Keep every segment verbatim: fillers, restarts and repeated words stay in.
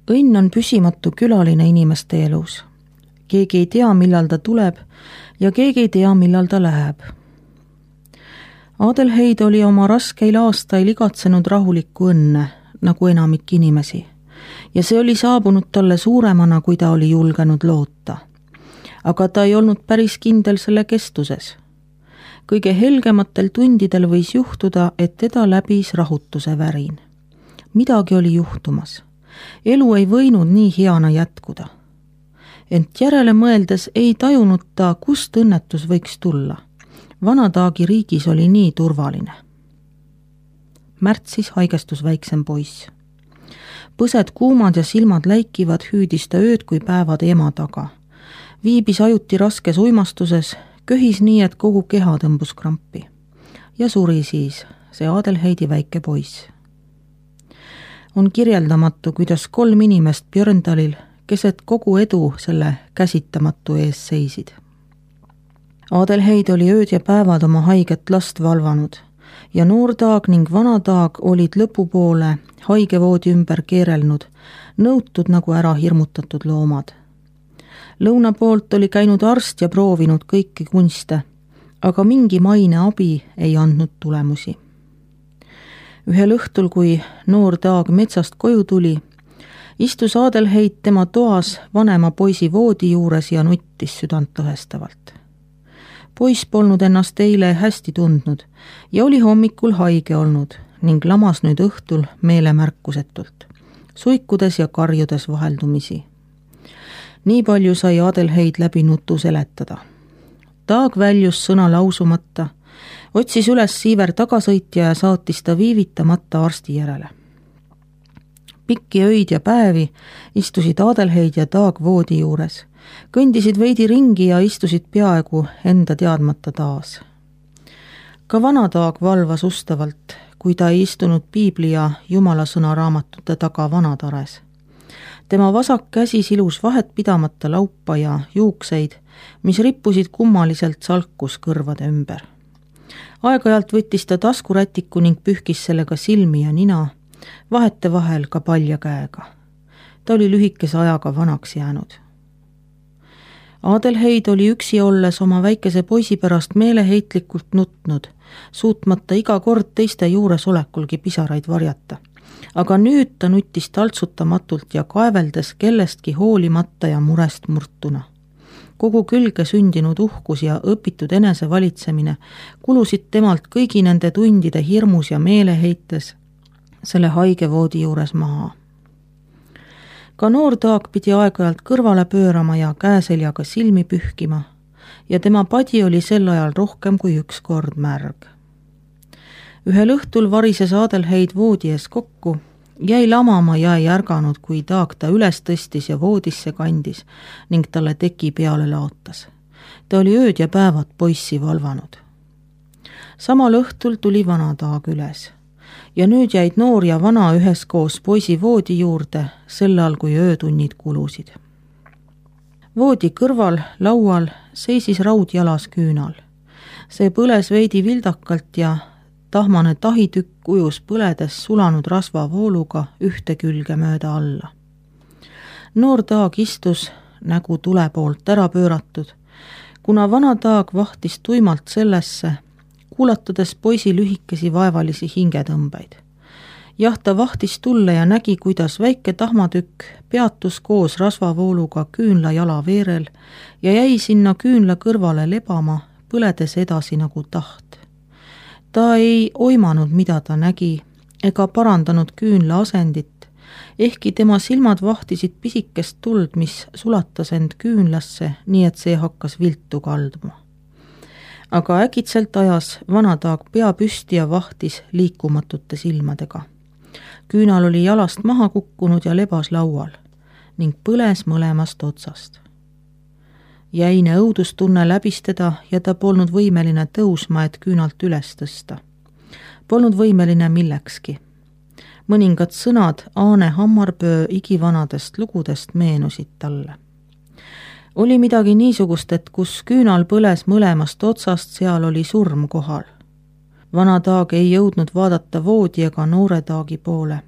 Õnn on püsimatu külaline inimeste elus. Keegi ei tea, millal ta tuleb ja keegi ei tea, millal ta läheb. Adelheid oli oma raskeil aastail igatsenud rahulikku õnne, nagu enamik inimesi, ja see oli saabunud talle suuremana, kui ta oli julgenud loota. Aga ta ei olnud päris kindel selle kestuses. Kõige helgematel tundidel võis juhtuda, et teda läbis rahutuse värin. Midagi oli juhtumas. Elu ei võinud nii heana jätkuda. Ent järele mõeldes ei tajunud ta, kust õnnetus võiks tulla. Vanataagi riigis oli nii turvaline. Märtsis haigestus väiksem poiss. Põsed kuumad ja silmad läikivad hüüdis ta ööd kui päevad ema taga. Viibis ajuti raskes uimastuses, köhis nii, et kogu keha tõmbus krampi. Ja suri siis, see Adelheidi väike poiss. On kirjeldamatu, kuidas kolm inimest Björndalil keset kogu edu selle käsitamatu ees seisid. Adelheid oli ööd ja päevad oma haiget last valvanud ja noortaag ning vanataag olid lõpupoole haigevoodi ümber keerelnud, nõutud nagu ära hirmutatud loomad. Lõuna poolt oli käinud arst ja proovinud kõiki kunste, aga mingi maine abi ei andnud tulemusi. Ühel õhtul, kui noor taag metsast koju tuli, istus Adelheid tema toas vanema poisi voodi juures ja nuttis südant lõhestavalt. Poiss polnud ennast eile hästi tundnud ja oli hommikul haige olnud ning lamas nüüd õhtul meelemärkusetult, suikudes ja karjudes vaheldumisi. Nii palju sai Adelheid läbi nutu seletada. Taag väljus sõna lausumata, otsis üles Siiver tagasõitja ja saatis ta viivitamata arsti järele. Pikki öid ja päevi istusid Adelheid ja Taag voodi juures, kõndisid veidi ringi ja istusid peaaegu enda teadmata taas. Ka vanataag valvas ustavalt, kui ta ei istunud piibli ja Jumala sõna raamatute taga vanatares. Tema vasak käsi silus vahet pidamata laupa ja juukseid, mis rippusid kummaliselt salkus kõrvade ümber. Aeg-ajalt võttis ta taskurätiku ning pühkis sellega silmi ja nina, vahete vahel ka palja käega. Ta oli lühikese ajaga vanaks jäänud. Adelheid oli üksi olles oma väikese poisi pärast meeleheitlikult nutnud, suutmata iga kord teiste juures olekulgi pisaraid varjata. Aga nüüd ta nuttis taltsutamatult ja kaeveldes kellestki hoolimata ja murest murtuna. Kogu külge sündinud uhkus ja õpitud enesevalitsemine kulusid temalt kõigi nende tundide hirmus ja meeleheites selle haige voodi juures maha. Ka noor taag pidi aeg-ajalt kõrvale pöörama ja käeseljaga silmi pühkima ja tema padi oli sel ajal rohkem kui üks kord märg. Ühel õhtul varises Adelheid voodi ees kokku, jäi lamama ja ei ärganud, kui taag ta üles tõstis ja voodisse kandis ning talle teki peale laotas. Ta oli ööd ja päevad poissi valvanud. Samal õhtul tuli vanataag üles ja nüüd jäid noor ja vana üheskoos poisi voodi juurde sel ajal, kui öötunnid kulusid. Voodi kõrval laual seisis raudjalas küünal. See põles veidi vildakalt ja tahmane tahitükk ujus põledes sulanud rasvavooluga ühte külge mööda alla. Noor taag istus nägu tule poolt ära pööratud, kuna vana taag vahtis tuimalt sellesse, kuulatades poisi lühikesi vaevalisi hingetõmbeid. Jah, ta vahtis tulle ja nägi, kuidas väike tahmatükk peatus koos rasvavooluga küünla jala veerel ja jäi sinna küünla kõrvale lebama, põledes edasi nagu taht. Ta ei oimanud, mida ta nägi, ega parandanud küünla asendit, ehkki tema silmad vahtisid pisikest tuld, mis sulatas end küünlasse, nii et see hakkas viltu kalduma. Aga äkitselt ajas vanataag pea püsti ja vahtis liikumatute silmadega. Küünal oli jalast maha kukkunud ja lebas laual ning põles mõlemast otsast. Jäine õudustunne läbistada ja ta polnud võimeline tõusma, et küünalt üles tõsta. Polnud võimeline millekski. Mõningad sõnad Aane Hammarpöö igivanadest lugudest meenusid talle. Oli midagi niisugust, et kus küünal põles mõlemast otsast, seal oli surm kohal. Vana taag ei jõudnud vaadata voodi ega noore taagi poole.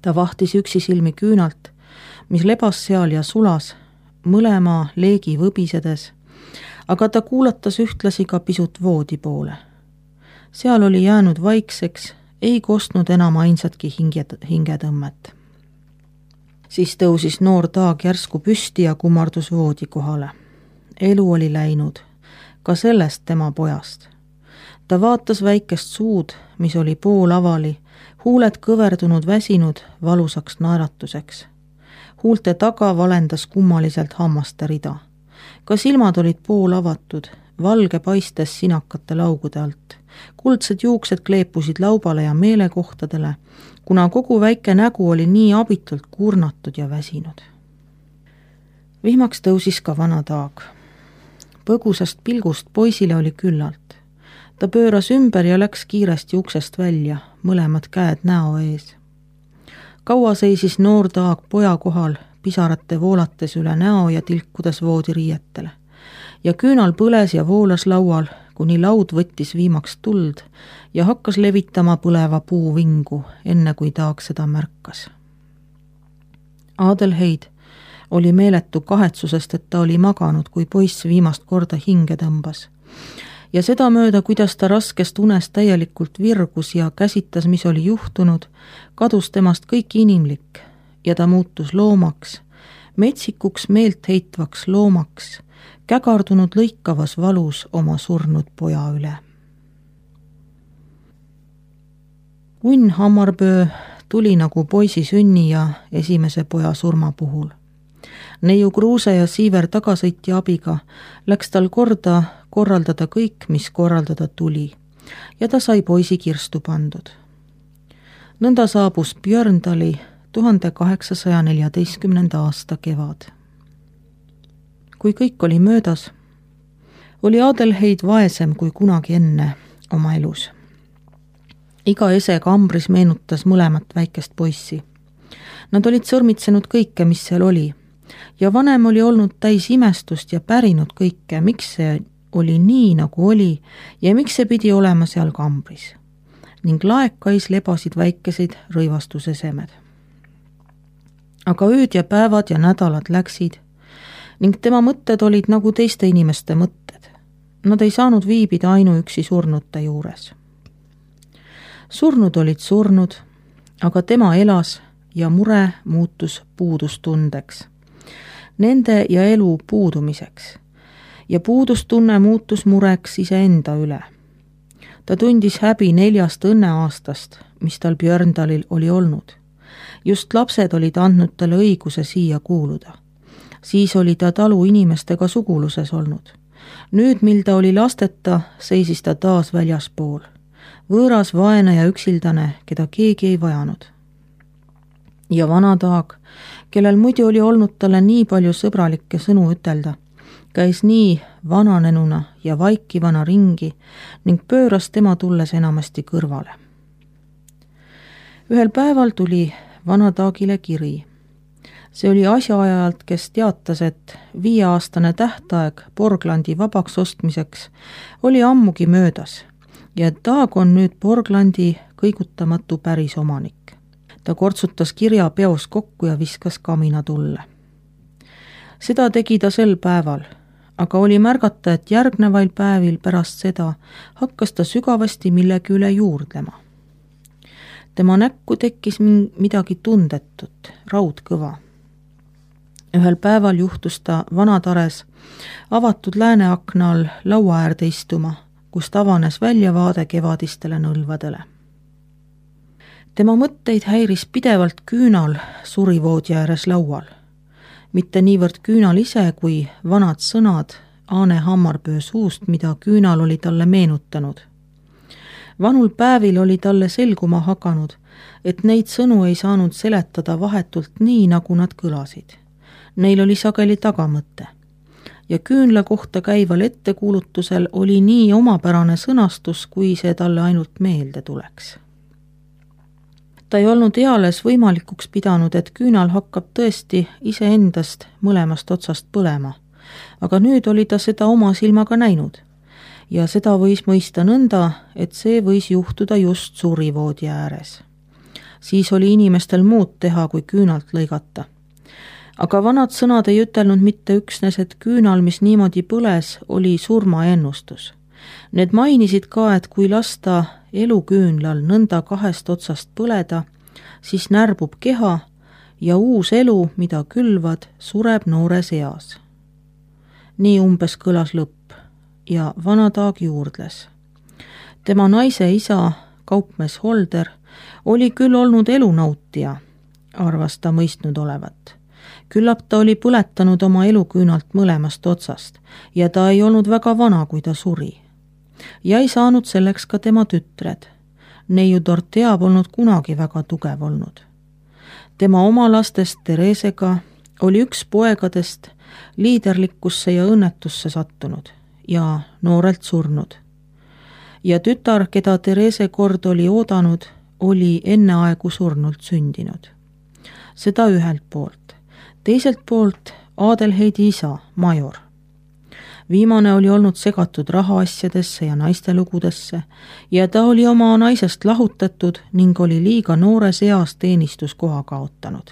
Ta vahtis üksi silmi küünalt mis lebas seal ja sulas, mõlema leegi võbisedes, aga ta kuulatas ühtlasi ka pisut voodi poole. Seal oli jäänud vaikseks, ei kostnud enam ainsatki hinge, hingetõmmet. Siis tõusis noor Taag järsku püsti ja kummardus voodi kohale. Elu oli läinud, ka sellest tema pojast. Ta vaatas väikest suud, mis oli pool avali, huuled kõverdunud väsinud valusaks naeratuseks. Huulte taga valendas kummaliselt hammaste rida. Ka silmad olid pool avatud, valge paistes sinakate laugude alt. Kuldsed juuksed kleepusid laubale ja meelekohtadele, kuna kogu väike nägu oli nii abitult kurnatud ja väsinud. Vihmaks tõusis ka vana Taag. Põgusast pilgust poisile oli küllalt. Ta pööras ümber ja läks kiiresti uksest välja, mõlemad käed näo ees. Kaua seisis noor Taag poja kohal, pisarate voolates üle näo ja tilkudes voodiriietele. Ja küünal põles ja voolas laual, kuni laud võttis viimaks tuld ja hakkas levitama põleva puu vingu, enne kui Taag seda märkas. Adelheid oli meeletu kahetsusest, et ta oli maganud, kui poiss viimast korda hinge tõmbas. Ja seda mööda, kuidas ta raskest unest täielikult virgus ja käsitas, mis oli juhtunud, kadus temast kõik inimlik ja ta muutus loomaks, metsikuks meelt heitvaks loomaks, kägardunud lõikavas valus oma surnud poja üle. Unn Hammarböö tuli nagu poisi sünni ja esimese poja surma puhul. Neiu Kruuse ja Siiver tagasõitja abiga läks tal korda korraldada kõik, mis korraldada tuli, ja ta sai poisi kirstu pandud. Nõnda saabus Björndali tuhande kaheksasaja neljateistkümnenda aasta kevad. Kui kõik oli möödas, oli Adelheid vaesem kui kunagi enne oma elus. Iga ese kambris meenutas mõlemat väikest poissi. Nad olid sõrmitsenud kõike, mis seal oli, ja vanem oli olnud täis imestust ja pärinud kõike, miks see oli nii, nagu oli ja miks see pidi olema seal kambris. Ning laekais lebasid väikeseid rõivastusesemed. Aga ööd ja päevad ja nädalad läksid ning tema mõtted olid nagu teiste inimeste mõtted. Nad ei saanud viibida ainuüksi surnute juures. Surnud olid surnud, aga tema elas ja mure muutus puudustundeks. Nende ja elu puudumiseks. Ja puudustunne muutus mureks iseenda üle. Ta tundis häbi neljast õnneaastast, mis tal Björndalil oli olnud. Just lapsed olid andnud talle õiguse siia kuuluda. Siis oli ta talu inimestega suguluses olnud. Nüüd, mil ta oli lasteta, seisis ta taas väljaspool. Võõras, vaene ja üksildane, keda keegi ei vajanud. Ja vana Taag, kellel muidu oli olnud talle nii palju sõbralikke sõnu ütelda, käis nii vananenuna ja vaikivana ringi ning pööras tema tulles enamasti kõrvale. Ühel päeval tuli vana Taagile kiri. See oli asjaajalt, kes teatas, et viieaastane tähtaeg Borglandi vabaks ostmiseks oli ammugi möödas ja Taag on nüüd Borglandi kõigutamatu päris omanik. Ta kortsutas kirja peos kokku ja viskas kamina tulle. Seda tegi ta sel päeval, aga oli märgata, et järgnevail päevil pärast seda hakkas ta sügavasti millegi üle juurdlema. Tema näkku tekkis midagi tundetut, raudkõva. Ühel päeval juhtus ta vanatares avatud lääneakna all laua äärde istuma, kust avanes väljavaade kevadistele nõlvadele. Tema mõtteid häiris pidevalt küünal surivoodi ääres laual. Mitte niivõrd küünal ise, kui vanad sõnad Aane Hammarböö suust, mida küünal oli talle meenutanud. Vanul päevil oli talle selguma hakanud, et neid sõnu ei saanud seletada vahetult nii, nagu nad kõlasid. Neil oli sageli tagamõte. Ja küünla kohta käival ettekuulutusel oli nii omapärane sõnastus, kui see talle ainult meelde tuleks. Ta ei olnud eales võimalikuks pidanud, et küünal hakkab tõesti iseendast mõlemast otsast põlema, aga nüüd oli ta seda oma silmaga näinud ja seda võis mõista nõnda, et see võis juhtuda just surivoodi ääres. Siis oli inimestel muud teha, kui küünalt lõigata aga vanad sõnad ei ütelnud mitte üksnes, et küünal, mis niimoodi põles, oli surmaennustus. Need mainisid ka, et kui lasta eluküünlal nõnda kahest otsast põleda, siis närbub keha ja uus elu, mida külvad, sureb noores eas. Nii umbes kõlas lõpp ja vana Taag juurdles. Tema naise isa, kaupmees Holder, oli küll olnud elunautija, arvas ta mõistnud olevat. Küllap ta oli põletanud oma eluküünalt mõlemast otsast ja ta ei olnud väga vana, kui ta suri. Ja ei saanud selleks ka tema tütred. Neiu Dorothea polnud kunagi väga tugev olnud. Tema oma lastest Theresega oli üks poegadest liiderlikkusse ja õnnetusse sattunud ja noorelt surnud. Ja tütar, keda Therese kord oli oodanud, oli enneaegu surnult sündinud. Seda ühelt poolt. Teiselt poolt Adelheidi isa, major. Viimane oli olnud segatud rahaasjadesse ja naistelugudesse ja ta oli oma naisest lahutatud ning oli liiga noores eas teenistuskoha kaotanud.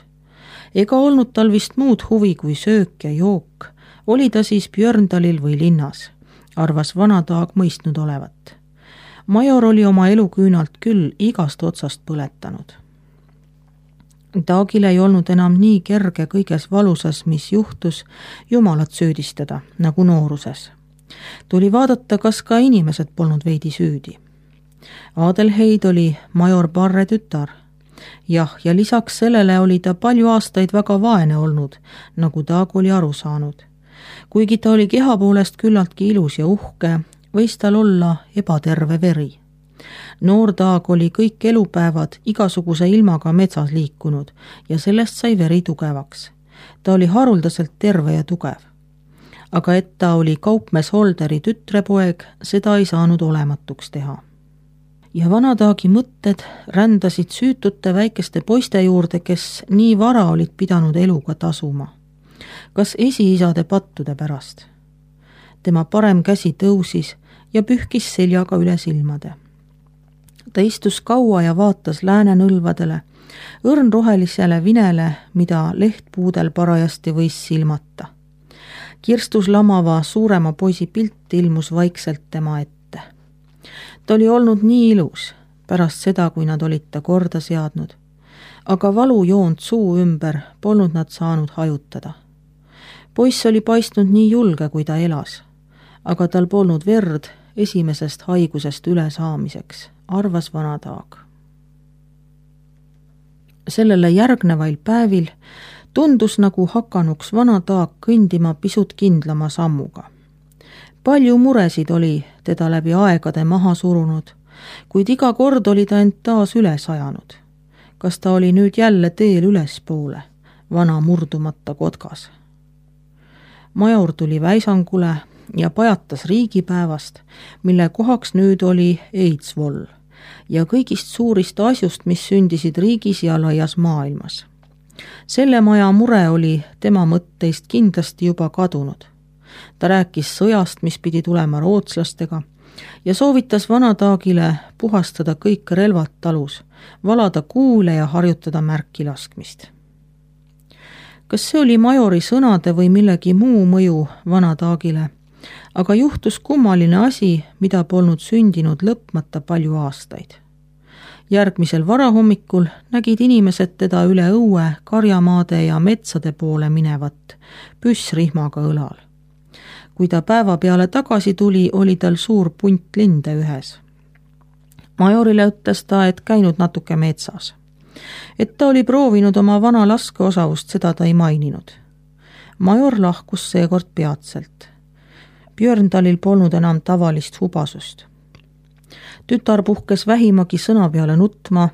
Ega olnud tal vist muud huvi kui söök ja jook, oli ta siis Björndalil või linnas, arvas vana Taag mõistnud olevat. Major oli oma eluküünalt küll igast otsast põletanud. Taagil ei olnud enam nii kerge kõiges valusas, mis juhtus, Jumalat süüdistada, nagu nooruses. Tuli vaadata, kas ka inimesed polnud veidi süüdi. Adelheid oli major Barre tütar. Jah, ja lisaks sellele oli ta palju aastaid väga vaene olnud, nagu Taag oli aru saanud. Kuigi ta oli keha poolest küllaltki ilus ja uhke, võis tal olla ebaterve veri. Noor Taag oli kõik elupäevad igasuguse ilmaga metsas liikunud ja sellest sai veri tugevaks. Ta oli haruldaselt terve ja tugev. Aga et ta oli kaupmees Holderi tütrepoeg, seda ei saanud olematuks teha. Ja vana Taagi mõtted rändasid süütute väikeste poiste juurde, kes nii vara olid pidanud eluga tasuma. Kas esiisade pattude pärast? Tema parem käsi tõusis ja pühkis seljaga üle silmade. Ta istus kaua ja vaatas läänenõlvadele, õrnrohelisele vinele, mida lehtpuudel parajasti võis silmata. Kirstus lamava suurema poisi pilt ilmus vaikselt tema ette. Ta oli olnud nii ilus, pärast seda, kui nad olid ta korda seadnud, aga valujoont suu ümber polnud nad saanud hajutada. Poiss oli paistnud nii julge, kui ta elas, aga tal polnud verd esimesest haigusest üle saamiseks, arvas vana Taag. Sellele järgnevail päevil tundus nagu hakanuks vana Taag kõndima pisut kindlama sammuga. Palju muresid oli teda läbi aegade maha surunud, kuid iga kord oli ta end taas üles ajanud. Kas ta oli nüüd jälle teel ülespoole, vana murdumata kotkas? Major tuli väisangule ja pajatas riigipäevast, mille kohaks nüüd oli Eidsvoll ja kõigist suurist asjust, mis sündisid riigis ja laias maailmas. Selle maja mure oli tema mõtteist kindlasti juba kadunud. Ta rääkis sõjast, mis pidi tulema rootslastega ja soovitas vana Taagile puhastada kõik relvad talus, valada kuule ja harjutada märki laskmist. Kas see oli majori sõnade või millegi muu mõju vana Taagile, aga juhtus kummaline asi, mida polnud sündinud lõpmata palju aastaid. Järgmisel varahommikul nägid inimesed teda üle õue, karjamaade ja metsade poole minevat, püssrihmaga õlal. Kui ta päeva peale tagasi tuli, oli tal suur punt linde ühes. Majorile ütles ta, et käinud natuke metsas. Et ta oli proovinud oma vana laskeosavust, seda ta ei maininud. Major lahkus seekord peatselt. Björndalil polnud enam tavalist hubasust. Tütar puhkes vähimagi sõna peale nutma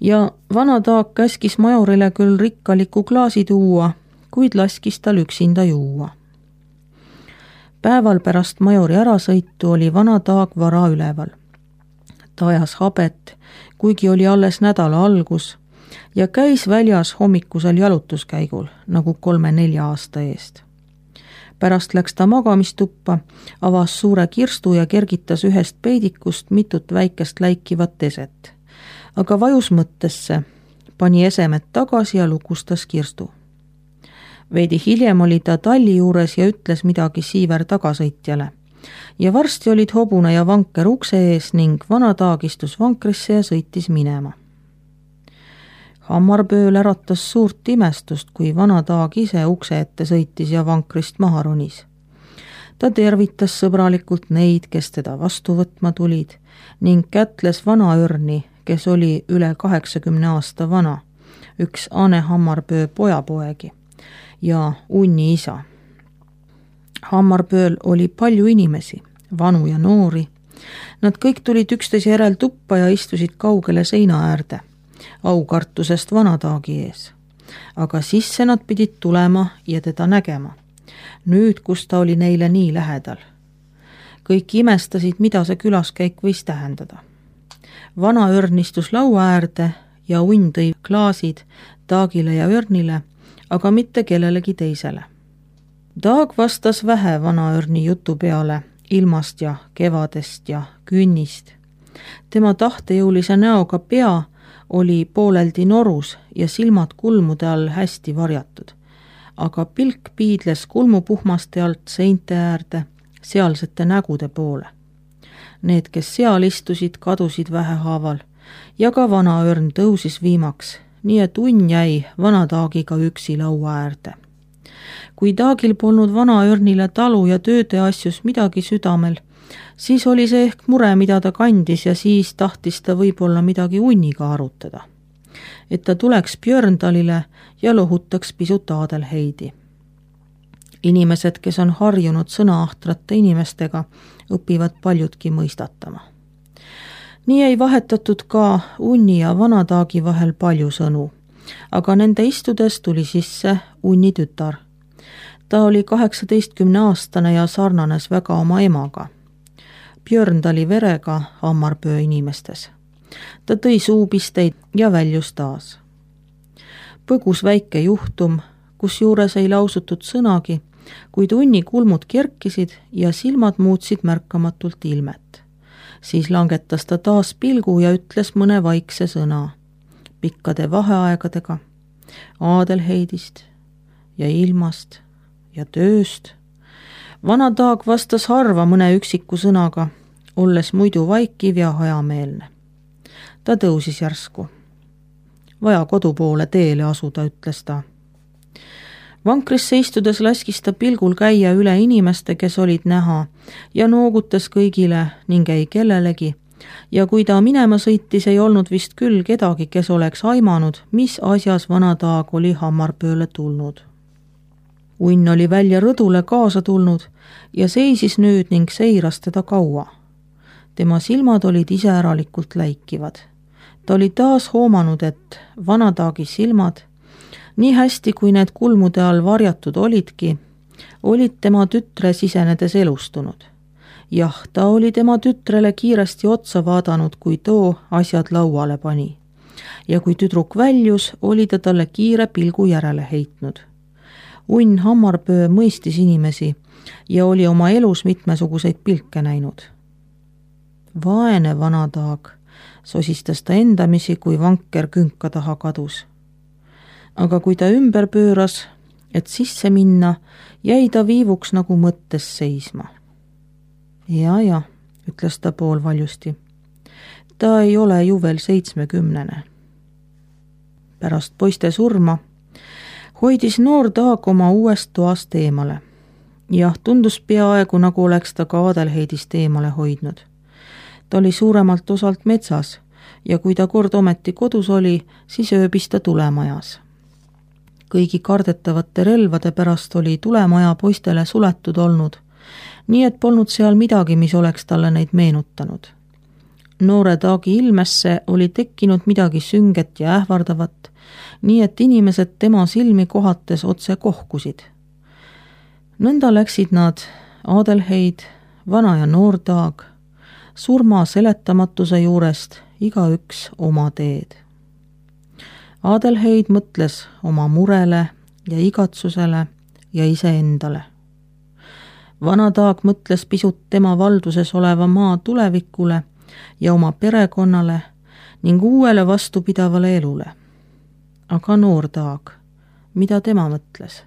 ja vana Taag käskis majorile küll rikkaliku klaasi tuua, kuid laskis tal üksinda juua. Päeval pärast majori ärasõitu oli vana Taag vara üleval. Ta ajas habet, kuigi oli alles nädala algus ja käis väljas hommikusel jalutuskäigul nagu kolme-nelja aasta eest. Pärast läks ta magamistuppa, avas suure kirstu ja kergitas ühest peidikust mitut väikest läikivat eset. Aga vajus mõttesse, pani esemed tagasi ja lukustas kirstu. Veidi hiljem oli ta talli juures ja ütles midagi Siiver tagasõitjale. Ja varsti olid hobune ja vanker ukse ees ning vana Taag istus vankrisse ja sõitis minema. Hammarpööl äratas suurt imestust, kui vana Taag ise ukse ette sõitis ja vankrist maha ronis. Ta tervitas sõbralikult neid, kes teda vastu võtma tulid ning kätles vana Örni, kes oli üle kaheksakümne aasta vana, üks Ane Hammarpöö pojapoegi ja Unni isa. Hammarpööl oli palju inimesi, vanu ja noori. Nad kõik tulid üksteise järel tuppa ja istusid kaugele seina äärde, aukartusest vana Taagi ees. Aga sisse nad pidid tulema ja teda nägema. Nüüd, kus ta oli neile nii lähedal. Kõik imestasid, mida see külaskäik võis tähendada. Vana Örn istus laua äärde ja Unn tõi klaasid Taagile ja Örnile, aga mitte kellelegi teisele. Taag vastas vähe vana Örni jutu peale ilmast ja kevadest ja künnist. Tema tahtejõulise näoga pea oli pooleldi norus ja silmad kulmude all hästi varjatud, aga pilk piidles kulmupuhmaste alt seinte äärde sealsete nägude poole. Need, kes seal istusid, kadusid vähehaaval ja ka vana Örn tõusis viimaks, nii et Unn jäi vana Taagiga üksi laua äärde. Kui Taagil polnud vana Örnile talu ja tööde asjus midagi südamel, siis oli see ehk mure, mida ta kandis ja siis tahtis ta võib-olla midagi Unniga arutada. Et ta tuleks Björndalile ja lohutaks pisut Adelheidi. Inimesed, kes on harjunud sõnaahtrate inimestega, õpivad paljudki mõistatama. Nii ei vahetatud ka Unni ja vana Taagi vahel palju sõnu, aga nende istudes tuli sisse Unni tütar. Ta oli kaheksateistkümne aastane ja sarnanes väga oma emaga. Björndali verega Hammarpöö inimestes. Ta tõi suupisteid ja väljus taas. Põgus väike juhtum, kus juures ei lausutud sõnagi, kuid Unni kulmud kerkisid ja silmad muutsid märkamatult ilmet. Siis langetas ta taas pilgu ja ütles mõne vaikse sõna, pikkade vaheaegadega, Adelheidist ja ilmast ja tööst. Vana Taag vastas harva mõne üksiku sõnaga, olles muidu vaikiv ja hajameelne. Ta tõusis järsku. Vaja kodu poole teele asuda, ütles ta. Vankrisse istudes laskis ta pilgul käia üle inimeste, kes olid näha ja noogutas kõigile ning ei kellelegi. Ja kui ta minema sõitis, ei olnud vist küll kedagi, kes oleks aimanud, mis asjas vana Taag oli Hammarpööle tulnud. Unn oli välja rõdule kaasa tulnud ja seisis nüüd ning seiras teda kaua. Tema silmad olid iseäralikult läikivad. Ta oli taas hoomanud, et vana Taagi silmad, nii hästi kui need kulmude all varjatud olidki, olid tema tütre sisenedes elustunud. Jah, ta oli tema tütrele kiiresti otsa vaadanud, kui too asjad lauale pani. Ja kui tüdruk väljus, oli ta talle kiire pilgu järele heitnud. Unn Hammarpöö mõistis inimesi ja oli oma elus mitmesuguseid pilke näinud. Vaene vana Taag, sosistas ta endamisi, kui vanker künka taha kadus. Aga kui ta ümber pööras, et sisse minna, jäi ta viivuks nagu mõttes seisma. Ja, ja, ütles ta poolvaljusti. Ta ei ole ju veel seitsmekümnene. Pärast poiste surma hoidis noor Taag oma uuest toast eemale. Jah, tundus peaaegu, nagu oleks ta ka Adelheidist eemale hoidnud. Ta oli suuremalt osalt metsas ja kui ta kord ometi kodus oli, siis ööbis ta tulemajas. Kõigi kardetavate relvade pärast oli tulemaja poistele suletud olnud, nii et polnud seal midagi, mis oleks talle neid meenutanud. Noore Taagi ilmesse oli tekkinud midagi sünget ja ähvardavat, nii et inimesed tema silmi kohates otse kohkusid. Nõnda läksid nad, Adelheid, vana ja noor Taag, surma seletamatuse juurest igaüks oma teed. Adelheid mõtles oma murele ja igatsusele ja iseendale. Vana Taag mõtles pisut tema valduses oleva maa tulevikule ja oma perekonnale ning uuele vastupidavale elule. Aga noor Taag, mida tema mõtles?